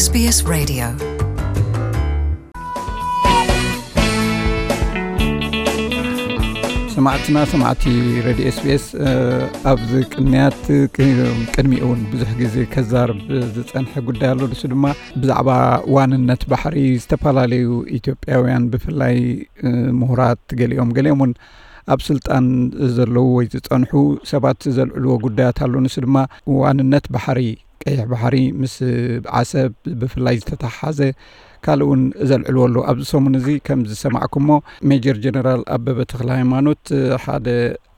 SBS Radio. ሰማዕትና ሰማዕቲ ሬድዮ ኤስቢኤስ፣ ኣብዚ ቅንያት ቅድሚኡ እውን ብዙሕ ግዜ ከዛርብ ዝጸንሐ ጉዳይ ኣሎ። ንሱ ድማ ብዛዕባ ዋንነት ባሕሪ ዝተፈላለዩ ኢትዮጵያውያን፣ ብፍላይ ምሁራት፣ ገሊኦም ገሊኦም እውን ኣብ ስልጣን ዘለዉ ወይ ዝጸንሑ ሰባት ዘልዕልዎ ጉዳያት ኣሎ። ንሱ ድማ ዋንነት ባሕሪ፣ ቀይሕ ባሕሪ ምስ ዓሰብ ብፍላይ ዝተተሓሓዘ ካልእ እውን ዘልዕልዎ ኣሎ። ኣብዚ ሰሙን እዚ ከም ዝሰማዕኩሞ፣ ሜጀር ጀነራል ኣበበ ተኽለ ሃይማኖት ሓደ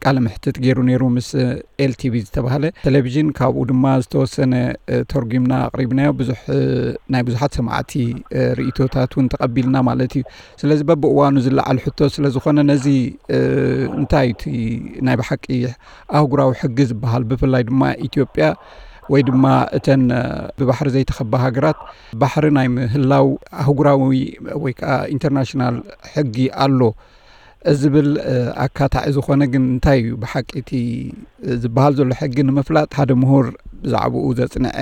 ቃለ መሕትት ገይሩ ነይሩ ምስ ኤልቲቪ ዝተባህለ ቴሌቪዥን። ካብኡ ድማ ዝተወሰነ ተርጉምና ኣቕሪብናዮ። ብዙሕ ናይ ብዙሓት ሰማዕቲ ርእይቶታት እውን ተቐቢልና ማለት እዩ። ስለዚ በብእዋኑ ዝለዓል ሕቶ ስለ ዝኾነ፣ ነዚ እንታይ እዩ እቲ ናይ ብሓቂ ኣህጉራዊ ሕጊ ዝበሃል፣ ብፍላይ ድማ ኢትዮጵያ ወይ ድማ እተን ብባሕሪ ዘይተኸባ ሃገራት፣ ባሕሪ ናይ ምህላው ኣህጉራዊ ወይ ከዓ ኢንተርናሽናል ሕጊ ኣሎ ዝብል ኣካታዒ ዝኾነ፣ ግን እንታይ እዩ ብሓቂ እቲ ዝበሃል ዘሎ ሕጊ ንምፍላጥ፣ ሓደ ምሁር ብዛዕባኡ ዘጽንዐ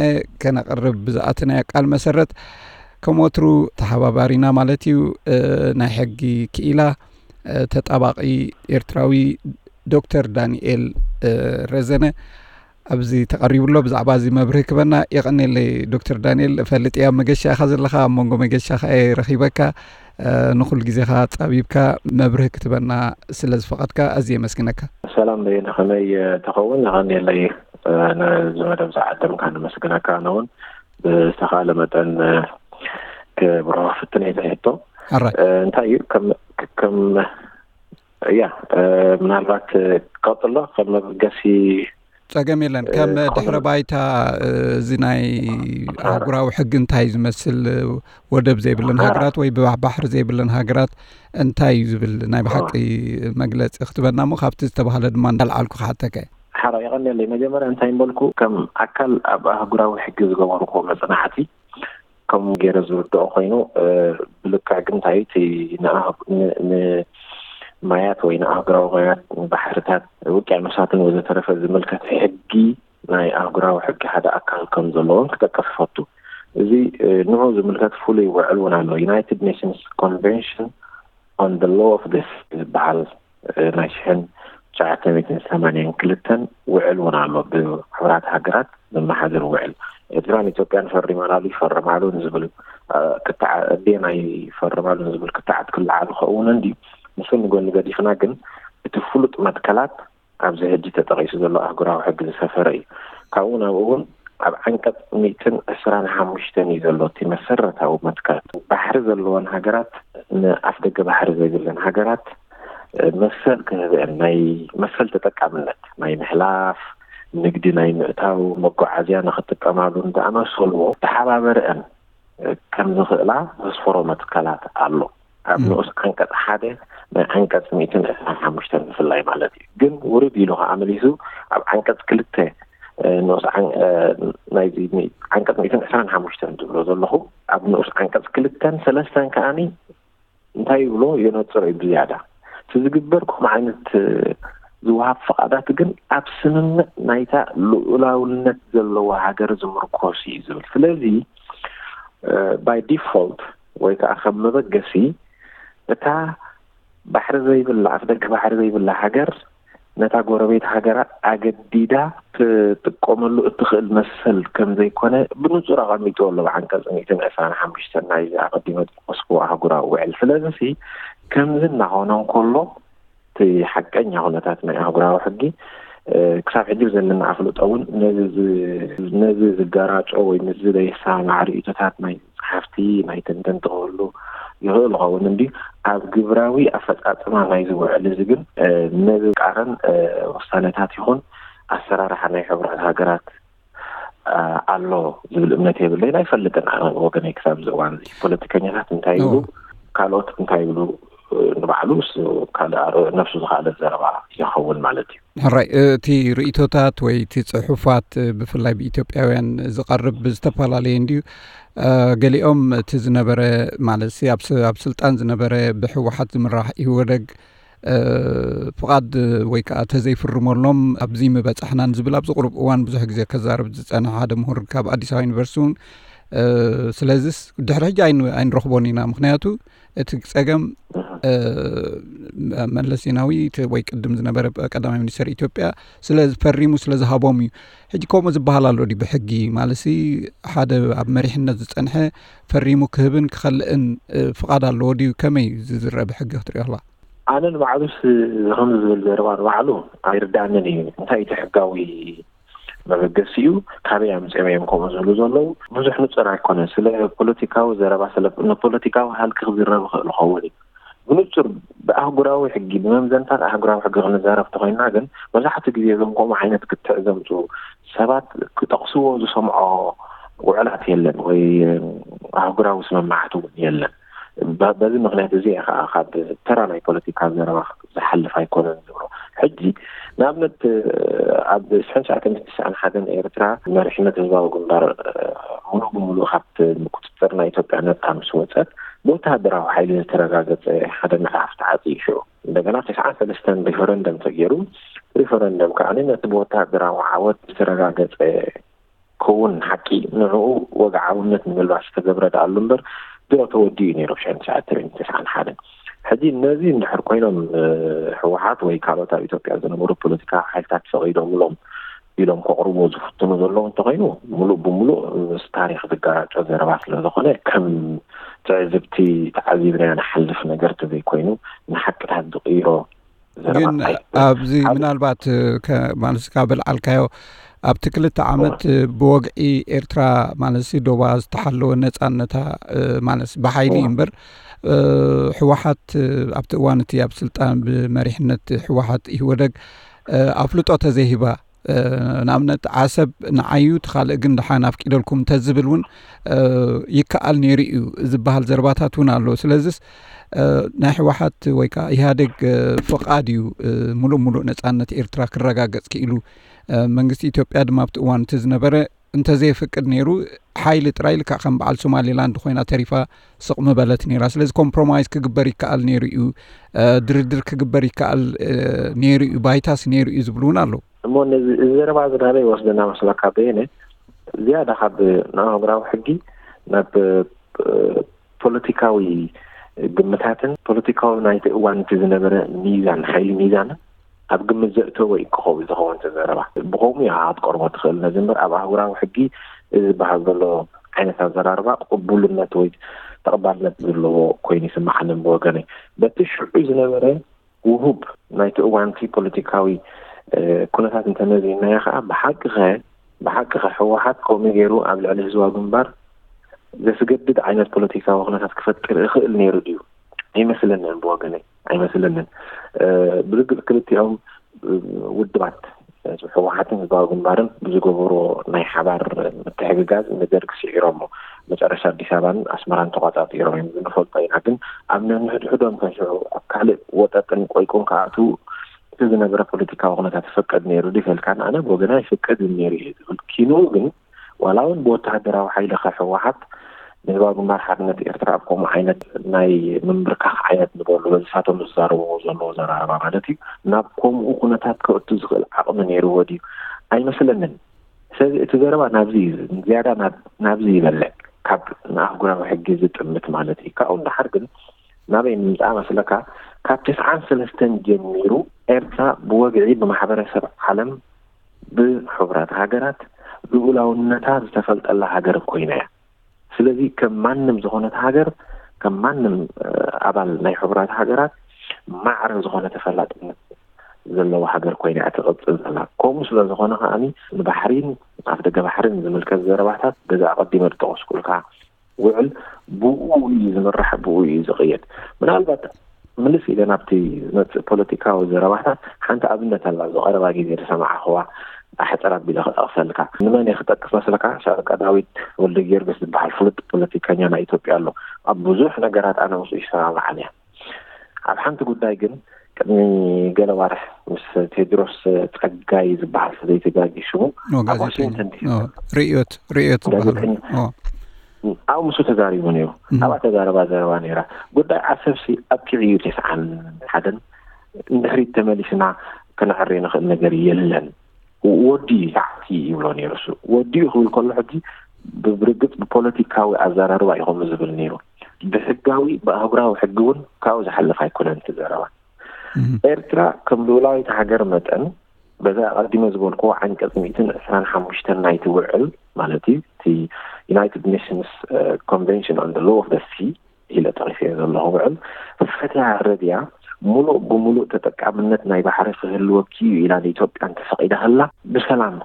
ከነቕርብ ብዝኣተናዮ ቃል መሰረት፣ ከም ወትሩ ተሓባባሪና ማለት እዩ፣ ናይ ሕጊ ክኢላ ተጣባቒ ኤርትራዊ ዶክተር ዳንኤል ረዘነ ኣብዚ ተቐሪቡ ኣሎ። ብዛዕባ እዚ መብርሂ ክበና። የቐኔለይ ዶክተር ዳንኤል፣ እፈልጥ እያ ኣብ መገሻ ኢኻ ዘለኻ፣ ኣብ መንጎ መገሻ ኸኣ እየ ረኺበካ። ንኹሉ ግዜኻ ጻቢብካ መብርሂ ክትበና ስለ ዝፈቐድካ ኣዝየ የመስግነካ። ሰላም በየነ፣ ከመይ ትኸውን? የቐኔለይ፣ ነዚ መደብ ዝዓደምካ ነመስግነካ። ኣነ እውን ብዝተኻእለ መጠን ክብርሆ ክፍትን እየ። ሕቶ ኣራይ እንታይ እዩ? ከም ከም እያ፣ ምናልባት ቀጥሎ ከም መበገሲ ጸገም የለን። ከም ድሕረ ባይታ እዚ ናይ ኣህጉራዊ ሕጊ እንታይ እዩ ዝመስል፣ ወደብ ዘይብለን ሃገራት ወይ ብባሕሪ ዘይብለን ሃገራት እንታይ እዩ ዝብል ናይ ብሓቂ መግለጺ ክትበና እሞ፣ ካብቲ ዝተባህለ ድማ እንዳልዓልኩ ክሓተከ። ሓራ የቐንየለይ። መጀመርያ እንታይ እምበልኩ፣ ከም ኣካል ኣብ ኣህጉራዊ ሕጊ ዝገበርኩ መጽናዕቲ ከም ገይረ ዝርድኦ ኮይኑ፣ ብልክዕ ግን እንታይ እቲ ንማያት ወይ ንኣህጉራዊ ማያት፣ ባሕርታት፣ ውቅያኖሳትን ወዘተረፈ ዝምልከት ሕጊ፣ ናይ ኣህጉራዊ ሕጊ ሓደ ኣካል ከም ዘለዎን ክጠቅስ ይፈቱ። እዚ ንዑ ዝምልከት ፍሉይ ውዕል እውን ኣሎ። ዩናይትድ ኔሽንስ ኮንቨንሽን on the Law of the Sea ዝበሃል ናይ ሽሕን ትሽዓተ ሚእትን ሰማንያን ክልተን ውዕል እውን ኣሎ፣ ብሕቡራት ሃገራት ዝመሓደር ውዕል። ኤርትራን ኢትዮጵያን ፈሪመናሉ፣ ይፈርማሉን ዝብል ክትዓ-፣ ኣዴና ይፈርማሉን ዝብል ክትዓት ክለዓሉ ከእውን እንዲ፣ ንሱ ንጎኒ ገዲፍና ግን እቲ ፍሉጥ መትከላት ኣብዚ ሕጂ ተጠቒሱ ዘሎ ኣህጉራዊ ሕጊ ዝሰፈረ እዩ። ካብኡ ናብኡ እውን ኣብ ዓንቀጽ ሚእትን ዕስራን ሓሙሽተን እዩ ዘሎ እቲ መሰረታዊ መትከል። ባሕሪ ዘለወን ሃገራት ንኣፍ ደገ ባሕሪ ዘይብለን ሃገራት መሰል ክህበን፣ ናይ መሰል ተጠቃምነት፣ ናይ ምሕላፍ፣ ንግዲ ናይ ምእታው፣ መጓዓዝያ ንኽጥቀማሉ እንተኣመሰልዎ ተሓባበረአን ከም ዝኽእላ ዘስፈሮ መትከላት ኣሎ። ኣብ ንኡስ ዓንቀጽ ሓደ ናይ ዓንቀጽ ሚእትን ዕስራን ሓሙሽተን ብፍላይ ማለት እዩ። ግን ውርድ ኢሉ ከኣ መሊሱ ኣብ ዓንቀጽ ክልተ ንኡስ ዓን-፣ ናይዚ ሚ-፣ ዓንቀጽ ሚእትን ዕስራን ሓሙሽተን ዝብሎ ዘለኹ፣ ኣብ ንኡስ ዓንቀጽ ክልተን ሰለስተን ከኣኒ እንታይ ይብሎ የነጽሮ እዩ ብዝያዳ። እቲ ዝግበር ከምኡ ዓይነት ዝወሃብ ፍቓዳት ግን ኣብ ስምምዕ ናይታ ልኡላውነት ዘለዋ ሃገር ዝምርኮስ እዩ ዝብል። ስለዚ፣ by default ወይ ከዓ ከም መበገሲ እታ ባሕሪ ዘይብላ፣ ኣፍደገ ባሕሪ ዘይብላ ሃገር ነታ ጎረቤት ሃገራ ኣገዲዳ ትጥቀመሉ እትኽእል መሰል ከም ዘይኮነ ብንጹር ኣቐሚጥዎ ኣሎ፣ ብዓንቀጽ ሚእትን ዕስራን ሓሙሽተን ናይዚ ኣቐዲመ ዝጠቐስኩዎ ኣህጉራዊ ውዕል። ስለዚሲ ከምዚ እናኾነ እንከሎ፣ እቲ ሓቀኛ ኩነታት ናይ ኣህጉራዊ ሕጊ፣ እ፣ ክሳብ ሕጂ ዘለና ኣፍልጦ እውን ነዚ ዝ-፣ ነዚ ዝጋራጮ ወይ ምስዚ ዘይሰማማዕ ርእይቶታት ናይ ጸሓፍቲ፣ ናይ ተንተንቲ ክህሉ ይኽእል ይኸውን እንድዩ። ኣብ ግብራዊ ኣፈጻጽማ ናይዚ ውዕል እዚ ግን፣ እ፣ ነዚ ቃረን፣ እ፣ ውሳነታት ይኹን ኣሰራርሓ ናይ ሕቡራት ሃገራት፣ እ፣ ኣሎ ዝብል እምነት የብለይን፣ ኣይፈልጥን። ኣነ ወገነይ ክሳብ እዚ እዋን እዚ ፖለቲከኛታት እንታይ ይብሉ፣ እዎ። ካልኦት እንታይ ይብሉ፣ እ፣ ንባዕሉ እሱ ካልእ ኣር-፣ ነብሱ ዝኸኣለ ዘረባ ይኸውን ማለት እዩ። ሕራይ፣ እቲ ርእይቶታት ወይ እቲ ጽሑፋት፣ ብፍላይ ብኢትዮጵያውያን ዝቐርብ ብዝተፈላለየ እንድዩ። እ፣ ገሊኦም እቲ ዝነበረ፣ ማለት ሲ፣ ኣብ ስ-፣ ኣብ ስልጣን ዝነበረ ብህወሓት ዝምራሕ ኢህወደግ፣ እ፣ ፍቓድ ወይ ከዓ ተዘይፍርመሎም ኣብዚ ምበጻሕናን ዝብል ኣብዚ ቁሩብ እዋን ብዙሕ ግዜ ከዛርብ ዝጸንሐ ሓደ ምሁር ካብ ኣዲስ ኣበባ ዩኒቨርሲቲ እውን ስለዚስ ድሕሪ ሕጂ ኣይንረኽቦን ኢና። ምክንያቱ እቲ ጸገም መለስ ዜናዊ ወይ ቅድም ዝነበረ ቀዳማይ ሚኒስተር ኢትዮጵያ ስለ ዝፈሪሙ ስለ ዝሃቦም እዩ። ሕጂ ከምኡ ዝበሃል ኣሎ ድዩ ብሕጊ? ማለትሲ ሓደ ኣብ መሪሕነት ዝጸንሐ ፈሪሙ ክህብን ክኸልእን ፍቓድ ኣለዎ ድዩ? ከመይ ዝዝረ ብሕጊ ክትሪኦ ኣለዋ? ኣነ ንባዕሉስ ከምዚ ዝብል ዘረባ ንባዕሉ ኣይርዳእንን እዩ። እንታይ እቲ ሕጋዊ መበገሲኡ? ካበይ ኣምፅኦም እዮም ከምኡ ዝብሉ ዘለዉ? ብዙሕ ንፁር ኣይኮነን። ስለ ፖለቲካዊ ዘረባ ስለ ንፖለቲካዊ ሃልኪ ክዝረብ ይኽእል ይኸውን እዩ። ብንፁር ብኣህጉራዊ ሕጊ ብመምዘንታት ኣህጉራዊ ሕጊ ክንዛረብ ተኮይንና ግን መብዛሕትኡ ግዜ እዞም ከምኡ ዓይነት ክትዕ ዘምፅኡ ሰባት ክጠቕስዎ ዝሰምዖ ውዕላት የለን ወይ ኣህጉራዊ ስምምዓት እውን የለን። በዚ ምክንያት እዚ እየ ከዓ ካብ ተራ ናይ ፖለቲካ ዘረባ ዝሓልፍ ኣይኮነን ዝብሎ። ሕጂ ንኣብነት ኣብ ሽሕን ትሽዓተ ሚእትን ትስዓን ሓደን ኤርትራ መሪሕነት ህዝባዊ ግንባር ሙሉእ ብሙሉእ ካብ ቁፅፅር ናይ ኢትዮጵያ ነፃ ምስ ወፀት ብወተሃደራዊ ሓይሊ ዝተረጋገፀ ሓደ ምዕራፍ ተዓፅዩ ሽዑ። እንደገና ተስዓን ሰለስተን ሪፈረንደም ተገይሩ። ሪፈረንደም ከዓ ነቲ ብወተሃደራዊ ዓወት ዝተረጋገፀ ክውን ሓቂ ንዕኡ ወግዓውነት ንምልባስ ዝተገብረ ደኣሉ እምበር ድሮ ተወዲኡ ነይሩ ብሽሕን ትሽዓተ ሚእትን ትስዓን ሓደን። ሕጂ ነዚ እንድሕር ኮይኖም ህወሓት ወይ ካልኦት ኣብ ኢትዮጵያ ዝነበሩ ፖለቲካ ሓይልታት ፈቒዶምሎም ኢሎም ከቕርብዎ ዝፍትኑ ዘለዉ እንተኮይኑ ሙሉእ ብሙሉእ ምስ ታሪክ ዝጋጨ ዘረባ ስለዝኾነ ከም ትዕዝብቲ ተዓዚብናዮ ንሓልፍ ነገር ተዘይኮይኑ ንሓቅታት ዝቕይሮ ግን ኣብዚ ምናልባት ማለት ካብ ልዓልካዮ ኣብቲ ክልተ ዓመት ብወግዒ ኤርትራ ማለት ዶባ ዝተሓለወ ነፃነታ ማለት ብሓይሊ እዩ እምበር ህወሓት ኣብቲ እዋን እቲ ኣብ ስልጣን ብመሪሕነት ህወሓት ኢህወደግ ኣፍልጦ ተዘይሂባ ንኣብነት ዓሰብ ንዓዩ እቲ ካልእ ግን ደሓን ኣፍቂደልኩም እንተዝብል እውን ይከኣል ነይሩ እዩ ዝበሃል ዘረባታት እውን ኣሎ። ስለዚስ ናይ ህወሓት ወይ ከዓ ኢህኣዴግ ፍቓድ እዩ ሙሉእ ሙሉእ ነፃነት ኤርትራ ክረጋገፅ ክኢሉ። መንግስቲ ኢትዮጵያ ድማ ኣብቲ እዋን እቲ ዝነበረ እንተዘየፍቅድ ነይሩ ሓይሊ ጥራይ ልክዕ ከም በዓል ሶማሌላንድ ኮይና ተሪፋ ስቕ ምበለት ነይራ። ስለዚ ኮምፕሮማይዝ ክግበር ይከኣል ነይሩ እዩ፣ ድርድር ክግበር ይከኣል ነይሩ እዩ፣ ባይታስ ነይሩ እዩ ዝብሉ እውን ኣለዉ። እሞ ነዚ እዚ ዘረባ እዚ ናበይ ወስደና መስለካ በየነ? ዝያዳ ካብ ንኣህጉራዊ ሕጊ ናብ ፖለቲካዊ ግምታትን ፖለቲካዊ ናይቲ እዋን እቲ ዝነበረ ሚዛን ሓይሊ ሚዛንን ኣብ ግምት ዘእተወ እዩ ክኸውን ዝኸውን እቲ ዘረባ። ብኸምኡ እያ ክትቀርቦ ትኽእል። ነዚ እምበር ኣብ ኣህጉራዊ ሕጊ እዚ ዝበሃል ዘሎ ዓይነት ኣዘራርባ ቅቡልነት ወይ ተቐባልነት ዘለዎ ኮይኑ ይስምዓኒ ብወገነይ። በቲ ሽዑ ዝነበረ ውሁብ ናይቲ እዋንቲ ፖለቲካዊ ኩነታት እንተመዚንናዮ ከዓ ብሓቂ ኸ ብሓቂ ኸ ህወሓት ከምኡ ገይሩ ኣብ ልዕሊ ህዝባዊ ግንባር ዘስገድድ ዓይነት ፖለቲካዊ ኩነታት ክፈጥር ይኽእል ነይሩ ድዩ? ኣይመስለንን ብወገነይ ኣይመስለንን። ብርግፅ ክልቲኦም ውድባት ህወሓትን ህዝባዊ ግንባርን ብዝገበሮ ናይ ሓባር ምትሕግጋዝ ንደርግ ስዒሮሞ መጨረሻ ኣዲስ ኣበባን ኣስመራን ተቋፃፂሮም እዮም ንፈልጦ ኢና። ግን ኣብ ነንሕድሕዶም ከሽዑ ኣብ ካልእ ወጠጥን ቆይቁን ክኣትዉ እቲ ዝነበረ ፖለቲካዊ ኩነታት ይፈቅድ ነይሩ ድዩ ተልካን ኣነ ብወገና ይፍቅድ ነይሩ እዩ ዝብል ኪኑ ግን ዋላ እውን ብወተሃደራዊ ሓይሊ ከ ህወሓት ንህዝባዊ ግንባር ሓርነት ኤርትራ ኣብ ከምኡ ዓይነት ናይ ምምብርካኽ ዓይነት ንበሉ በዚ ሳቶም ዝዛረብዎ ዘለዎ ዘራረባ ማለት እዩ ናብ ከምኡ ኩነታት ከእቱ ዝኽእል ዓቕሚ ነይርዎ ድዩ? ኣይመስለንን። ስለዚ እቲ ዘረባ ናብዚ እዩ ዝያዳ ናብዚ ይበልዕ ካብ ንኣህጉራዊ ሕጊ ዝጥምት ማለት እዩ። ካብኡ ንደሓር ግን ናበይ ንምፃእ መስለካ? ካብ ተስዓን ሰለስተን ጀሚሩ ኤርትራ ብወግዒ ብማሕበረሰብ ዓለም ብሕቡራት ሃገራት ልኡላውነታ ዝተፈልጠላ ሃገር ኮይና እያ። ስለዚ ከም ማንም ዝኾነት ሃገር ከም ማንም ኣባል ናይ ሕቡራት ሃገራት ማዕረ ዝኾነ ተፈላጥነት ዘለዋ ሃገር ኮይና እያ ትቕፅል ዘላ። ከምኡ ስለ ዝኾነ ከዓኒ ንባሕሪን ኣፍ ደገ ባሕሪን ዝምልከት ዘረባታት በዚ ኣቐዲመ ዝጠቐስኩልካ ውዕል ብኡ እዩ ዝምራሕ፣ ብኡ እዩ ዝቕየድ። ምናልባት ምልስ ኢለ ናብቲ ዝመፅእ ፖለቲካዊ ዘረባታት ሓንቲ ኣብነት ኣላ። ኣብዚ ቀረባ ግዜ ዝሰማዕኽዋ ኣሕፅር ኣቢለ ክጠቕሰልካ። ንመን እየ ክጠቅስ መስለካ? ሻለቃ ዳዊት ወልደጊዮርጊስ ዝበሃል ፍሉጥ ፖለቲከኛ ናይ ኢትዮጵያ ኣሎ። ኣብ ብዙሕ ነገራት ኣነ ምስኡ ይሰማማዕን እየ። ኣብ ሓንቲ ጉዳይ ግን ቅድሚ ገለ ዋርሕ ምስ ቴድሮስ ጸጋይ ዝበሃል ሰበይቲ ጋጊ ሽሙ ኣብ ዋሽንግተን ዲሲ ርእዮት ርእዮት ዝበሃል ኣብኡ ምስኡ ተዛሪቡ ነይሩ። ኣብኣ ተዛረባ ዘረባ ነይራ። ጉዳይ ዓሰብሲ ኣብቂዑ እዩ። ተስዓን ሓደን ንድሕሪት ተመሊስና ከነዕሪ ንኽእል ነገር የለን። ወዲ ተዓቲ ይብሎ ነይሩ። እሱ ወዲኡ ክብል ከሎ ሕጂ ብርግጽ ብፖለቲካዊ ኣዘራርባ እዩ ከምኡ ዝብል ነይሩ። ብሕጋዊ፣ ብኣህጉራዊ ሕጊ እውን ካብኡ ዝሓልፍ ኣይኮነን እቲ ዘረባ። ኤርትራ ከም ልኡላዊት ሃገር መጠን፣ በዛ ኣቐዲመ ዝበልክዎ ዓንቀጽ ሚእትን ዕስራን ሓሙሽተን ናይቲ ውዕል፣ ማለት እዩ፣ እቲ United Nations Convention on the Law of the Sea ኢለ ጠቒሰዮ ዘለኹ ውዕል፣ ፈትያ ረድያ ሙሉእ ብሙሉእ ተጠቃምነት ናይ ባሕሪ ክህልወኪ እዩ ኢላ ንኢትዮጵያ እንተፈቒዳህላ፣ ብሰላም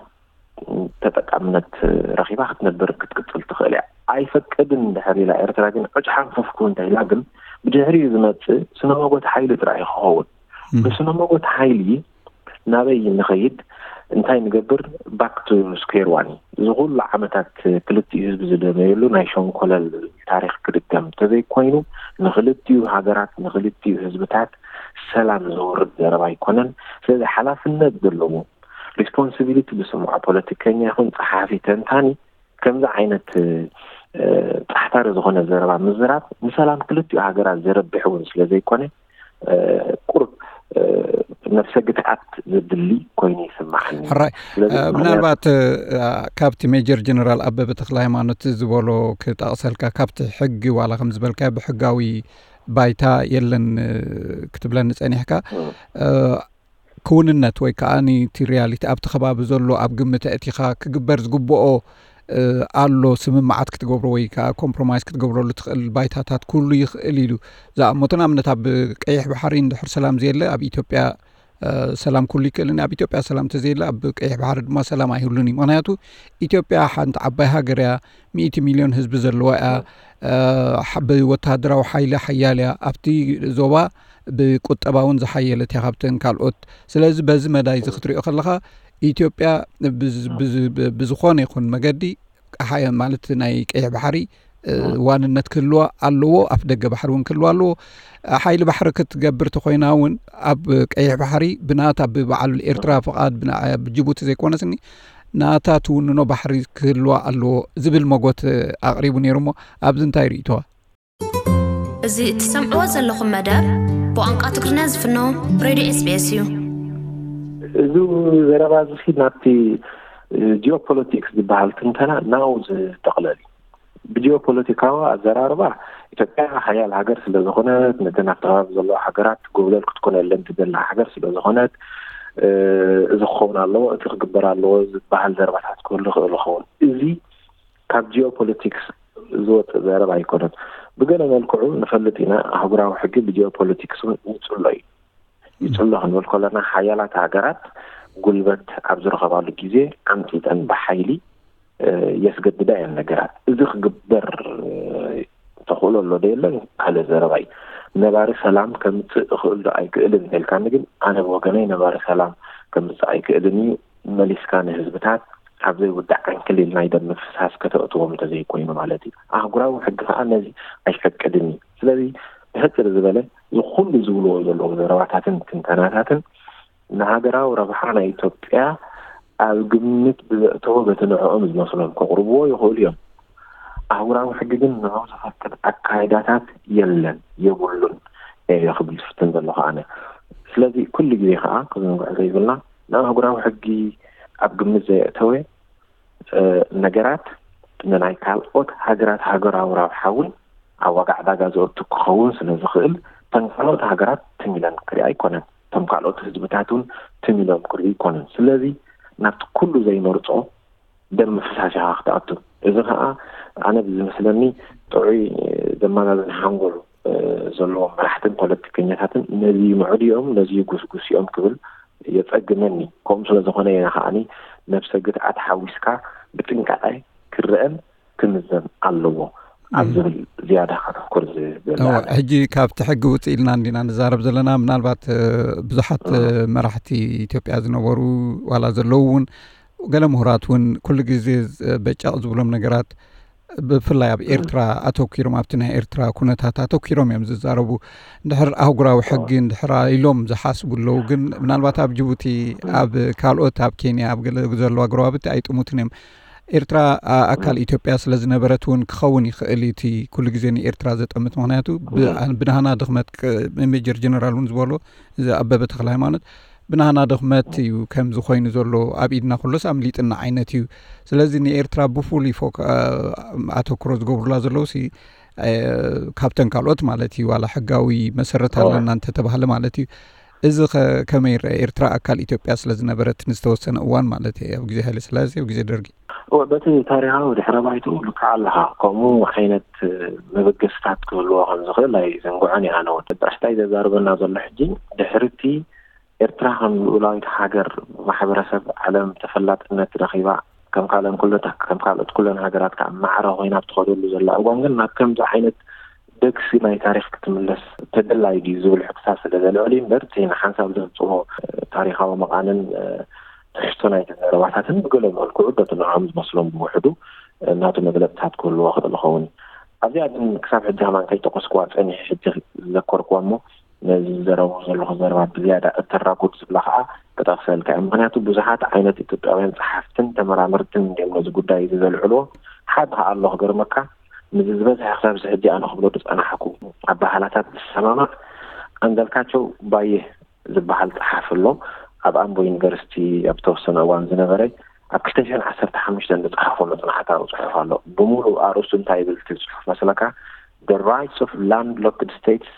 ተጠቃምነት ረኺባ ክትነብር ክትቅጽል ትኽእል እያ። ኣይፈቅድን እንድሕር ኢላ ኤርትራ ግን ዕጭ ሓንፈፍኩ እንተ ኢላ ግን ብድሕሪኡ ዝመጽእ ስነ መጎት ሓይሊ ጥራይ እዩ ክኸውን። ብስነ መጎት ሓይሊ ናበይ ንኸይድ? እንታይ ንገብር? Back to square one። እዚ ኩሉ ዓመታት ክልቲኡ ህዝቢ ዝደመየሉ ናይ ሸንኮለል ታሪኽ ክድገም እንተዘይኮይኑ፣ ንክልቲኡ ሃገራት፣ ንክልቲኡ ህዝብታት ሰላም ዘውርድ ዘረባ ኣይኮነን። ስለዚ ሓላፍነት ዘለዎ፣ ሪስፖንሲቢሊቲ ዝስምዖ ፖለቲከኛ ይኹን ጸሓፊ፣ ተንታኒ ከምዚ ዓይነት ጻሕታሪ ዝኾነ ዘረባ ምዝራብ ንሰላም ክልቲኡ ሃገራት ዘረብሕ እውን ስለ ዘይኮነ፣ ቁሩብ ነፍሰ ግትኣት ዘድሊ ኮይኑ ይስምዓኒ። ሕራይ። ምናልባት ካብቲ ሜጀር ጀነራል ኣበበ ተክለ ሃይማኖት ዝበሎ ክጠቕሰልካ፣ ካብቲ ሕጊ ዋላ ከም ዝበልካ ብሕጋዊ ባይታ የለን ክትብለኒ ጸኒሕካ፣ ክውንነት ወይ ከዓ እቲ ሪያሊቲ ኣብቲ ከባቢ ዘሎ ኣብ ግምት ኣእቲኻ ክግበር ዝግብኦ ኣሎ፣ ስምምዓት ክትገብሮ ወይ ከዓ ኮምፕሮማይዝ ክትገብረሉ ትኽእል ባይታታት ኩሉ ይኽእል ኢሉ ዝኣመቶ። ንኣብነት ኣብ ቀይሕ ባሕሪ እንድሕር ሰላም ዘየለ ኣብ ኢትዮጵያ ሰላም ኩሉ ይክእልን፣ ኣብ ኢትዮጵያ ሰላም ተዘየለ ኣብ ቀይሕ ባሕሪ ድማ ሰላም ኣይህሉን እዩ። ምክንያቱ ኢትዮጵያ ሓንቲ ዓባይ ሃገር እያ፣ ሚእቲ ሚልዮን ህዝቢ ዘለዋ እያ፣ ብወተሃደራዊ ሓይሊ ሓያል እያ፣ ኣብቲ ዞባ ብቁጠባ እውን ዝሓየለት እያ ካብተን ካልኦት። ስለዚ በዚ መዳይ እዚ ክትሪኦ ከለኻ ኢትዮጵያ ብዝኾነ ይኹን መገዲ ማለት ናይ ቀይሕ ባሕሪ ዋንነት ክህልዋ ኣለዎ፣ ኣፍ ደገ ባሕሪ እውን ክህልዋ ኣለዎ። ሓይሊ ባሕሪ ክትገብር ተኮይና እውን ኣብ ቀይሕ ባሕሪ ብናታ ብበዓል ኤርትራ ፍቓድ ብጅቡቲ ዘይኮነስኒ ናታ ትውንኖ ባሕሪ ክህልዋ ኣለዎ ዝብል መጎት ኣቕሪቡ ነይሩ። እሞ ኣብዚ እንታይ ርእይቶዋ? እዚ እትሰምዕዎ ዘለኹም መደብ ብቋንቋ ትግርኛ ዝፍኖ ሬድዮ ኤስቢኤስ እዩ። እዚ ዘረባ እዚ ናብቲ ጂኦፖለቲክስ ዝበሃል ትንተና ናው ዝጠቕለል እዩ። ብጂኦፖለቲካዊ ኣዘራርባ ኢትዮጵያ ሓያል ሃገር ስለ ዝኾነት፣ ነተን ኣብቲ ከባቢ ዘለዋ ሃገራት ጎብለል ክትኮነለን ትደሊ ሃገር ስለ ዝኾነት፣ እዚ ክኸውን ኣለዎ፣ እቲ ክግበር ኣለዎ ዝበሃል ዘረባታት ክህሉ ይኽእል ይኸውን። እዚ ካብ ጂኦፖለቲክስ ዝወፅእ ዘረባ ኣይኮነን። ብገለ መልክዑ ንፈልጥ ኢና፣ ኣህጉራዊ ሕጊ ብጂኦፖለቲክስ እውን ይፅሎ እዩ። ይፅሎ ክንብል ከለና ሓያላት ሃገራት ጉልበት ኣብ ዝረኸባሉ ግዜ ዓምፂፀን ብሓይሊ የስገድዳ እየን ነገራት። እዚ ክግበር ተኽእሎ ኣሎ ዶ የለን ካልእ ዘረባ እዩ። ነባሪ ሰላም ከምፅእ እኽእል ዶ ኣይክእልን እንተልካኒ ግን ኣነ ብወገነይ ነባሪ ሰላም ከምፅእ ኣይክእልን እዩ። መሊስካ ንህዝብታት ኣብ ዘይውዳእ ዓንክሊል ናይ ደም ምፍሳስ ከተእትዎም እንተዘይኮይኑ ማለት እዩ። ኣህጉራዊ ሕጊ ከዓ ነዚ ኣይፈቅድን እዩ። ስለዚ ብሕፅር ዝበለ እዚ ኩሉ ዝብልዎ ዘለዉ ዘረባታትን ትንተናታትን ንሃገራዊ ረብሓ ናይ ኢትዮጵያ ኣብ ግምት ብዘእተወ በቲ ንዕኦም ዝመስሎም ከቕርብዎ ይኽእሉ እዮም። ኣህጉራዊ ሕጊ ግን ንዕኡ ዘፈቅድ ኣካይዳታት የለን፣ የብሉን እየ ክብል ዝፍትን ዘለኹ ኣነ። ስለዚ ኩሉ ግዜ ከዓ ክዝንግዖ ዘይብልና ንኣህጉራዊ ሕጊ ኣብ ግምት ዘየእተወ ነገራት ንናይ ካልኦት ሃገራት ሃገራዊ ረብሓ እውን ኣብ ዋጋ ዕዳጋ ዘእቱ ክኸውን ስለ ዝኽእል እተን ካልኦት ሃገራት ትም ኢለን ክሪኣ ኣይኮነን። እቶም ካልኦት ህዝብታት እውን ትም ኢሎም ክሪኡ ኣይኮነን። ስለዚ ናብቲ ኩሉ ዘይመርጾ ደም ምፍሳስ ኢኻ ክትኣቱ። እዚ ከዓ ኣነ ብዝመስለኒ ጥዑይ ዘመዛዝን ሓንጎል ዘለዎም መራሕትን ፖለቲከኛታትን ነዚ ምዕዱ እዮም፣ ነዚ ጉስጉስ እዮም ክብል የጸግመኒ። ከምኡ ስለ ዝኾነ እየ ከዓኒ ነብሰ ግትኣት ሓዊስካ ብጥንቃቐ ክረአን ክምዘን ኣለዎ ኣብ ዝብል ዝያዳ ከተኩር ዝብል። ሕጂ ካብቲ ሕጊ ውፅእ ኢልና እንዲና ንዛረብ ዘለና። ምናልባት ብዙሓት መራሕቲ ኢትዮጵያ ዝነበሩ ዋላ ዘለዉ እውን ገለ ምሁራት እውን ኩሉ ግዜ በጫቕ ዝብሎም ነገራት ብፍላይ ኣብ ኤርትራ ኣተኪሮም ኣብቲ ናይ ኤርትራ ኩነታት ኣተኪሮም እዮም ዝዛረቡ። እንድሕር ኣህጉራዊ ሕጊ እንድሕር ኢሎም ዝሓስቡ ኣለዉ። ግን ምናልባት ኣብ ጅቡቲ ኣብ ካልኦት ኣብ ኬንያ ኣብ ገለ ዘለዋ ጎረባብቲ ኣይጥሙትን እዮም። ኤርትራ ኣካል ኢትዮጵያ ስለ ዝነበረት እውን ክኸውን ይኽእል እቲ ኩሉ ግዜ ንኤርትራ ዘጠምት። ምክንያቱ ብናህና ድኽመት ሜጀር ጀነራል እውን ዝበሎ እዚ ኣበበ ተክለ ሃይማኖት ብናህና ድኽመት እዩ ከምዚ ኮይኑ ዘሎ፣ ኣብ ኢድና ኩሎስ ኣምሊጥና ዓይነት እዩ። ስለዚ ንኤርትራ ብፍሉይ ፎክ-፣ ኣ-፣ ኣተኩሮ ዝገብሩላ ዘለዉ ሲ፣ እ፣ ካብተን ካልኦት ማለት እዩ፣ ዋላ ሕጋዊ መሰረት ኣለና እንተተባህለ ማለት እዩ። እዚ ኸ ከመይ ይረአ? ኤርትራ ኣካል ኢትዮጵያ ስለ ዝነበረት ንዝተወሰነ እዋን ማለት እዩ፣ ኣብ ግዜ ሃይለ ስላሴ፣ ኣብ ግዜ ደርጊ። እወ፣ በቲ ታሪኻዊ ድሕረ ባይትኡ ልክዕ ኣለኻ። ከምኡ ዓይነት መበገስታት ክህልዎ ከም ዝኽእል ኣይዘንግዖን እየ ኣነ እውን። ብሕስታይ ዘዛርበና ዘሎ ሕጂ ድሕሪ እቲ ኤርትራ ከም ልኡላዊት ሃገር ማሕበረሰብ ዓለም ተፈላጥነት ረኺባ፣ ከም ካልኦን ኩለታ-፣ ከም ካልኦት ኩለን ሃገራት ከዓ ማዕረ ኮይና ኣብ ትኸደሉ ዘላ እዋን ግን ናብ ከምዚ ዓይነት ደግሲ ናይ ታሪኽ ክትምለስ ተደላይ ድዩ ዝብል ሕቶታት ስለ ዘልዕል እዩ እምበር፣ እቲ ንሓንሳብ ዘምጽኦ ታሪኻዊ መቓንን ትሕዝቶ ናይቲ ዘረባታትን ብገለ መልክዑ በቲ ንዕኦም ዝመስሎም ብውሕዱ ናቱ መግለጽታት ክህልዎ ክእል ይኸውን። ኣብዚኣ ግን ክሳብ ሕጂ ከማን ከይጠቀስኩዋ ጸኒሐ ሕጂ ዝዘከርኩዋ እሞ ነዚ ዝዘረቡ ዘለኹ ዘረባ ብዝያዳ እተራጉድ ዝብላ ከዓ ክጠቕሰልካ እየ። ምኽንያቱ ብዙሓት ዓይነት ኢትዮጵያውያን ጸሓፍትን ተመራመርትን እንዲዮም ነዚ ጉዳይ እዚ ዘልዕልዎ። ሓደ ከዓ ኣሎ ክገርመካ፣ ነዚ ዝበዝሐ ክሳብ እዚ ሕጂ ኣነ ክብሎ ዝጸናሕኩ ኣበሃህላታት ዝሰማማዕ ኣንዳልካቸው ባየ ዝበሃል ጸሓፊ ኣሎ። ኣብ ኣምቦ ዩኒቨርሲቲ ኣብ ተወሰነ እዋን ዝነበረ ኣብ ክልተ ሽሕን ዓሰርተ ሓሙሽተን ዝጸሓፎ መጽናዕታዊ ጽሑፍ ኣሎ። ብምሉእ ኣርእስቱ እንታይ ይብል እቲ ጽሑፍ መስለካ? The rights of landlocked states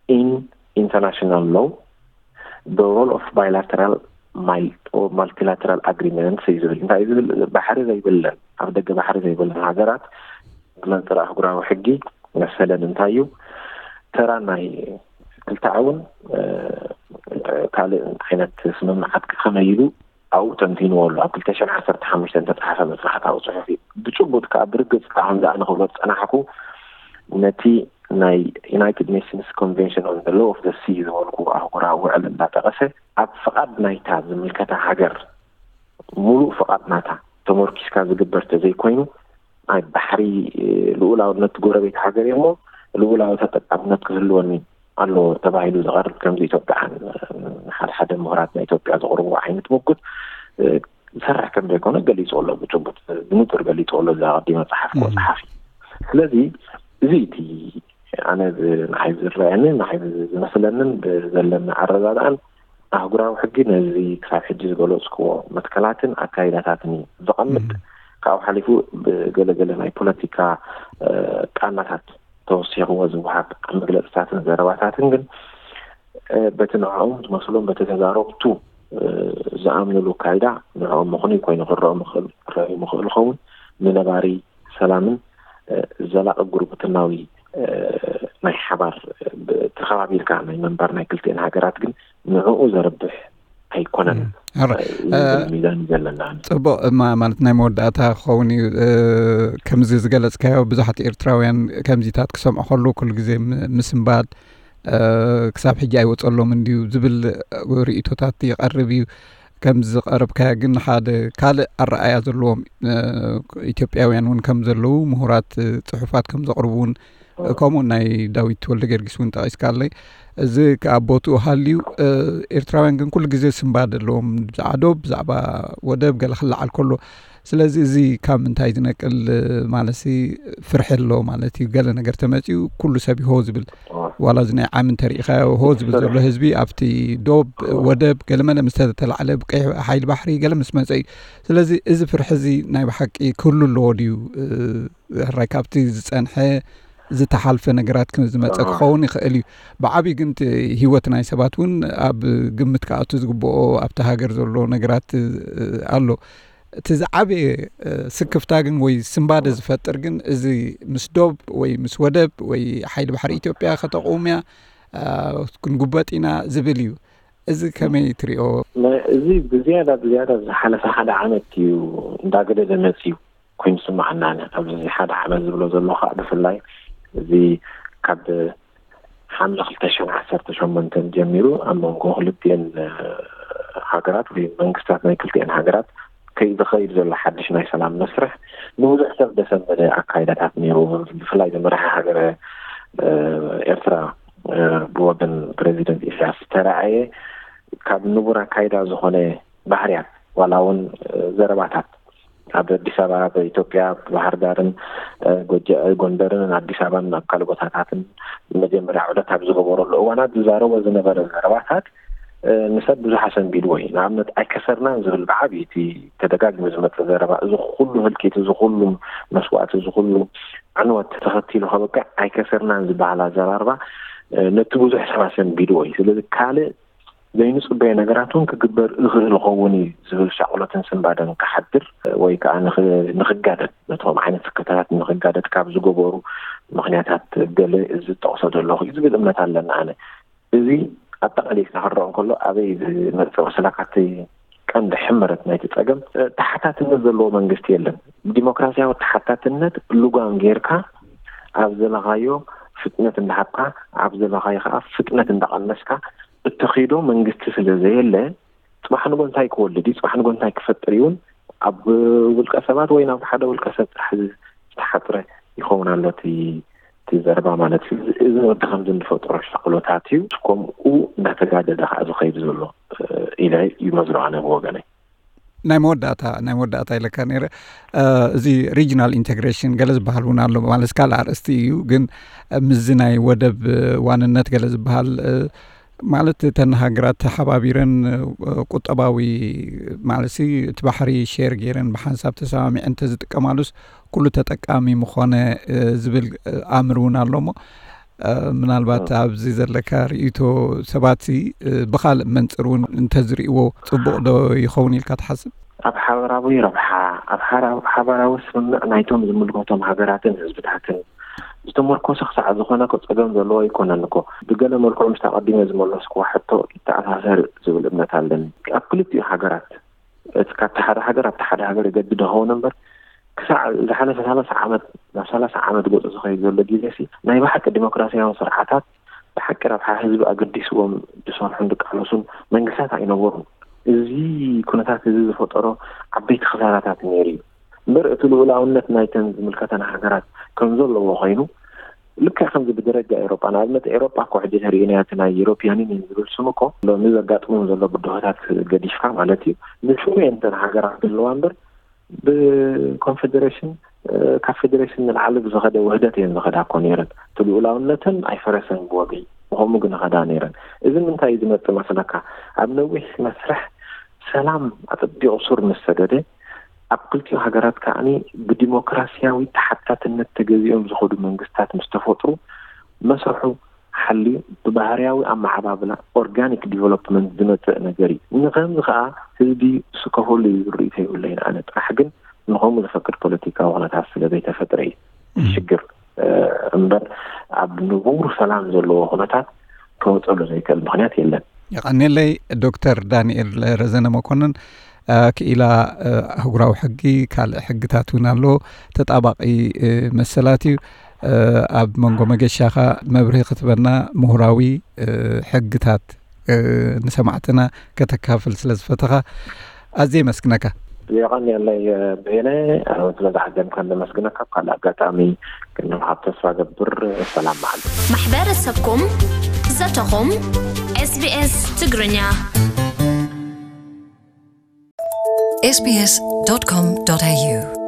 in international law, the role of bilateral mil-, or multilateral agreements እዩ ዝብል። እንታይ እዩ ዝብል? ባሕሪ ዘይብለን፣ ኣብ ደገ ባሕሪ ዘይብለን ሃገራት ብመንጽር ኣህጉራዊ ሕጊ መሰለን እንታይ እዩ? ተራ ናይ ክልተኣውን፣ እ፣ ካልእ ዓይነት ስምምዓት ከመይ ኢሉ ኣብኡ ተንቲንዎ ኣሎ። ኣብ ክልተ ሽሕን ዓሰርተ ሓሙሽተን ዝተጻሕፈ መጽናዕታዊ ጽሑፍ እዩ። ብጭቡጥ ከኣ ብርግጽ ከኣ ከምዚ ኣነ ክብሎ ዝጸናሕኩ ነቲ ናይ United Nations Convention on the Law of the Sea ዝበልኩ ኣህጉራዊ ውዕል እንዳጠቐሰ ኣብ ፍቓድ ናይታ ዝምልከታ ሃገር፣ ምሉእ ፍቓድ ናታ ተመርኪስካ ዝግበር ተዘይኮይኑ፣ ናይ ባሕሪ፣ እ፣ ልኡላውነት ጎረቤት ሃገር እሞ ልኡላዊ ተጠቃምነት ክህልወኒ ኣለዎ ተባሂሉ ዝቐርብ፣ ከምዚ ኢትዮጵያን፣ እ፣ ሓደ ሓደ ምሁራት ናይ ኢትዮጵያ ዘቕርብዎ ዓይነት ምጉት፣ እ፣ ዝሰርሕ ከም ዘይኮነ ገሊጹ ኣሎ። ብጭቡጥ ብንጹር ገሊጹ ኣሎ እዚ ኣቐዲመ ጸሓፍኩዎ እም። ጸሓፊ። ስለዚ እዚ እቲ ኣነ ብ-፣ ንዓይ ዝረኣየንን ንዓይ ዝመስለንን ብዘለኒ ኣረዳድኣን ኣህጉራዊ ሕጊ ነዚ ክሳብ ሕጂ ዝገለጽኩዎ መትከላትን ኣካይዳታትን እዩ ዘቐምጥ። እም። ካብኡ ሓሊፉ ብገለገለ ናይ ፖለቲካ፣ እ፣ ቃናታት ተወሲኽዎ ዝወሃብ መግለጽታትን ዘረባታትን ግን፣ እ፣ በቲ ንዕኦም ዝመስሎም፣ በቲ ተዛረብቱ፣ እ፣ ዝኣምንሉ ኣካይዳ ንዕኦም ምኽኑይ ኮይኑ ክረኦም ይኽእል፣ ክረኦም ይኽእል ይኸውን። ንነባሪ ሰላምን፣ እ፣ ዘላቒ ጉርብትናዊ፣ እ፣ ናይ ሓባር፣ እ፣ ብ-፣ ተኸባቢርካ ናይ ምንባር ናይ ክልቲኤን ሃገራት ግን ንዕኡ ዘርብሕ ኣይኮነን። እም። ሕራይ። እ፣ ዝብል ሚዛን እዩ ዘለና። ጽቡቕ፣ ማ-፣ ማለት ናይ መወዳእታ ክኸውን እዩ። እ፣ ከምዚ ዝገለጽካዮ ብዙሓት ኤርትራውያን ከምዚታት ክሰምዑ ከለዉ ኩሉ ግዜ ም-፣ ምስንባድ፣ እ፣ ክሳብ ሕጂ ኣይወጸሎምን ድዩ ዝብል ርእይቶታት ይቐርብ እዩ። ከምዚ ዝቐረብካዮ ግን ሓደ ካልእ ኣረኣእያ ዘለዎም፣ እ፣ ኢትዮጵያውያን እውን ከም ዘለዉ፣ ምሁራት፣ እ፣ ጽሑፋት ከም ዘቕርቡ እውን፣ እ፣ ከምኡ ናይ ዳዊት ወልደ ጊዮርጊስ እውን ጠቒስካለይ። እዚ ከኣ ቦትኡ ሃልዩ፣ እ፣ ኤርትራውያን ግን ኩሉ ግዜ ስንባደ ኣለዎም፣ ብዛዕባ ዶብ፣ ብዛዕባ ወደብ ገለ ክለዓል ከሎ። ስለዚ እዚ ካብ ምንታይ ዝነቅል፣ እ፣ ማለትሲ ፍርሒ ኣሎ ማለት እዩ። ገለ ነገር ተመጺኡ ኩሉ ሰብ እዩ ሆ ዝብል። ዋላ እዚ ናይ ዓሚ እንተሪኢኻዮ ሆ ዝብል ዘሎ ህዝቢ ኣብቲ ዶብ፣ ወደብ፣ ገለመለ ምስ ተተላዕለ፣ ብቀይሕ ሓይሊ ባሕሪ ገለ ምስ መጸ እዩ። ስለዚ እዚ ፍርሒ እዚ ናይ ብሓቂ ክህሉ ኣለዎ ድዩ? እ፣ ሕራይ ካብቲ ዝጸንሐ ዝተሓልፈ ነገራት ከም ዝመጸ ኣዎ። ክኸውን ይኽእል እዩ። ብዓብዩ ግን እቲ ህይወት ናይ ሰባት እውን ኣብ ግምት ክኣቱ ዝግብኦ ኣብቲ ሃገር ዘሎ ነገራት፣ እ፣ ኣሎ። እቲ ዝዓበየ፣ እ፣ ስክፍታ ግን ወይ ስንባደ ዝፈጥር ግን እዚ ምስ ዶብ ወይ ምስ ወደብ ወይ ሓይሊ ባሕሪ ኢትዮጵያ ከተቑም እያ፣ እ፣ ክንጉበጥ ኢና ዝብል እዩ። እዚ ከመይ ትሪኦ? ነ-፣ እዚ ብዝያዳ፣ ብዝያዳ ዝሓለፈ ሓደ ዓመት እዩ እንዳገደደ መፅዩ ኮይኑ ዝስማዓና። ኣብዚ ሓደ ዓመት ዝብሎ ዘሎ ከዓ ብፍላይ እዚ ካብ ሓምለ ክልተ ሽሕን ዓሰርተ ሸሞንተን ጀሚሩ ኣብ መንጎ ክልቲኤን፣ እ፣ ሃገራት ወይ መንግስታት ናይ ክልቲኤን ሃገራት ከይ-፣ ዝኸይድ ዘሎ ሓድሽ ናይ ሰላም መስርሕ ንብዙሕ ሰብ ዘሰንበደ ኣካይዳታት ነይሩ። ብፍላይ እዚ መራሒ ሃገረ፣ እ፣ ኤርትራ፣ እ፣ ብወገን ፕሬዚደንት ኢሳያስ ዝተረኣየ ካብ ንቡር ኣካይዳ ዝኾነ ባህርያት ዋላ እውን፣ እ፣ ዘረባታት ኣብ ኣዲስ ኣበባ፣ ኣብ ኢትዮጵያ፣ ኣብ ባህር ዳርን፣ እ፣ ጎጀ-፣ ጎንደርን ኣዲስ ኣበባን ኣብ ካልእ ቦታታትን መጀመርያ ዑደት ኣብ ዝገበረሉ እዋናት ዝዛረቦ ዝነበረ ዘረባታት ንሰብ ብዙሕ ኣሰንቢድዎ እዩ። ንኣብነት ኣይከሰርናን ዝብል ብዓብይቲ ተደጋጊሙ ዝመጽእ ዘረባ፣ እዚ ኩሉ ህልቂት፣ እዚ ኩሉ መስዋእቲ፣ እዚ ኩሉ ዕንወት ተኸቲሉ ከበቅዕ ኣይከሰርናን ዝበሃል ኣዘራርባ ነቲ ብዙሕ ሰብ ኣሰንቢድዎ እዩ። ስለዚ ካልእ ዘይንጽበዮ ነገራት እውን ክግበር ይኽእል ይኸውን እዩ ዝብል ሻቕሎትን ስንባደን ክሓድር ወይ ከዓ ንኽጋደድ፣ ነቶም ዓይነት ስክፍታታት ንኽጋደድ ካብ ዝገበሩ ምኽንያታት ገለ ዝጠቕሶ ዘለኹ እዩ ዝብል እምነት ኣለና። ኣነ እዚ ኣጠቓሊልካ ክረኦ እንከሎ ኣበይ ዝመፅእ መስለካ? እቲ ቀንዲ ሕመረት ናይቲ ፀገም ተሓታትነት ዘለዎ መንግስቲ የለን። ዲሞክራሲያዊ ተሓታትነት ልጓም ጌርካ ኣብ ዘለኻዮ ፍጥነት እንዳሃብካ ኣብ ዘለኻዮ ከዓ ፍጥነት እንዳቐነስካ እተኺዶ መንግስቲ ስለ ዘየለ፣ ፅባሕ ንጎ እንታይ ክወልድ እዩ፣ ፅባሕ ንጎ እንታይ ክፈጥር እዩን ኣብ ውልቀ ሰባት ወይ ናብ ሓደ ውልቀ ሰብ ጥራሕ ዝተሓፅረ ይኸውን ኣሎ እቲ ዘረባ ማለት እዩ። እዚ ወዲ ከምዚ እንፈጥሮ ሻቕሎታት እዩ። ከምኡ እንዳተጋደደ ከዓ ዝኸይድ ዘሎ ኢለ ይመዝኖ ኣነ ብወገነይ። ናይ መወዳእታ ናይ መወዳእታ ኢለካ ነይረ። እዚ ሪጅናል ኢንቴግሬሽን ገለ ዝበሃል እውን ኣሎ ማለት ካልእ ኣርእስቲ እዩ። ግን ምዚ ናይ ወደብ ዋንነት ገለ ዝበሃል ማለት እተን ሃገራት ተሓባቢረን ቁጠባዊ ማለት እቲ ባሕሪ ሼር ገይረን ብሓንሳብ ተሰማሚዐን እንተዝጥቀማሉስ ኩሉ ተጠቃሚ ምኾነ ዝብል ኣምር እውን ኣሎ። እሞ ምናልባት ኣብዚ ዘለካ ርእይቶ ሰባት ብኻልእ መንፅር እውን እንተዝርእይዎ ፅቡቕ ዶ ይኸውን ኢልካ ትሓስብ? ኣብ ሓበራዊ ረብሓ፣ ኣብ ሓራ- ሓበራዊ ስምምዕ ናይቶም ዝምልከቶም ሃገራትን ህዝብታትን ዝተመርኮሰ ክሳዕ ዝኾነ እኮ ጸገም ዘለዎ ኣይኮነን እኮ። ብገለ መልክዑ ምስታ ቀዲመ ዝመለስኩዋ ሕቶ ይተኣሳሰር ዝብል እምነት ኣለኒ። ኣብ ክልቲኡ ሃገራት እቲ ካብቲ ሓደ ሃገር ኣብቲ ሓደ ሃገር ይገድድ ይኸውን እምበር፣ ክሳዕ ዝሓለፈ ሰላሳ ዓመት፣ ናብ ሰላሳ ዓመት ገጹ ዝኸይድ ዘሎ ግዜ ሲ ናይ ብሓቂ ዲሞክራሲያዊ ስርዓታት ብሓቂ ረብሓ ህዝቢ ኣገዲስዎም ዝሰርሑን ዝቃለሱን መንግስታት ኣይነበሩን። እዚ ኩነታት እዚ ዝፈጠሮ ዓበይቲ ክሳራታት ነይሩ እዩ። እምበር እቲ ልኡላውነት ናይተን ዝምልከተን ሃገራት ከም ዘለዎ ኮይኑ፣ ልክዕ ከምዚ ብደረጃ ኤሮጳ፣ ንኣብነት ኤሮጳ እኮ ሕጂ ተሪእናዮ፣ እቲ ናይ ዩሮፒያን ዩኒየን ዝብል ስም እኮ ሎሚ ዘጋጥሞም ዘሎ ብድሆታት ገዲፍካ ማለት እዩ፣ ንስሙ እየን እተን ሃገራት ዘለዋ እምበር፣ ብኮንፌዴሬሽን፣ ካብ ፌዴሬሽን ንላዕሊ ብዝኸደ ውህደት እየን ዝኸዳ እኮ ነይረን። እቲ ልኡላውነተን ኣይፈረሰን ብወገይ፣ ብኸምኡ ግን ይኸዳ ነይረን። እዚ ምንታይ እዩ ዝመጽእ መስለካ? ኣብ ነዊሕ መስርሕ ሰላም ኣጸቢቑ ሱር ምስ ሰደደ፣ ኣብ ክልቲኡ ሃገራት ከኣኒ ብዲሞክራሲያዊ ተሓታትነት ተገዚኦም ዝኸዱ መንግስታት ምስ ተፈጥሩ፣ መስርሑ ሓልዩ ብባህርያዊ ኣመዓባብላ ኦርጋኒክ ዲቨሎፕመንት ዝመጽእ ነገር እዩ። ንኸምዚ ከኣ ህዝቢ ስከፈሉ እዩ ዝብል ርእይቶ የብለይን ኣነ። ጥራሕ ግን ንኸምኡ ዘፈቅድ ፖለቲካዊ ኩነታት ስለ ዘይተፈጥረ እዩ ሽግር እምበር ኣብ ንቡር ሰላም ዘለዎ ኩነታት ከወፀሉ ዘይክእል ምኽንያት የለን። የቐንየለይ። ዶክተር ዳንኤል ረዘነ መኮንን፣ ክኢላ ኣህጉራዊ ሕጊ፣ ካልእ ሕግታት እውን ኣሎ፣ ተጣባቒ መሰላት እዩ። ኣብ መንጎ መገሻኻ መብርሂ ክትበና ምሁራዊ ሕግታት ንሰማዕትና ከተካፍል ስለ ዝፈተኻ ኣዝየ የመስግነካ። የቐንየለይ በየነ፣ ስለ ዝሓገዝካን ነመስግነካ። ኣብ ካልእ ኣጋጣሚ ክንራኸብ ተስፋ ገብር። ሰላም መዓልቲ። ማሕበረሰብኩም፣ ዘተኹም፣ SBS ትግርኛ። ኤስቢኤስ ዶት ኮም ዶት ኤዩ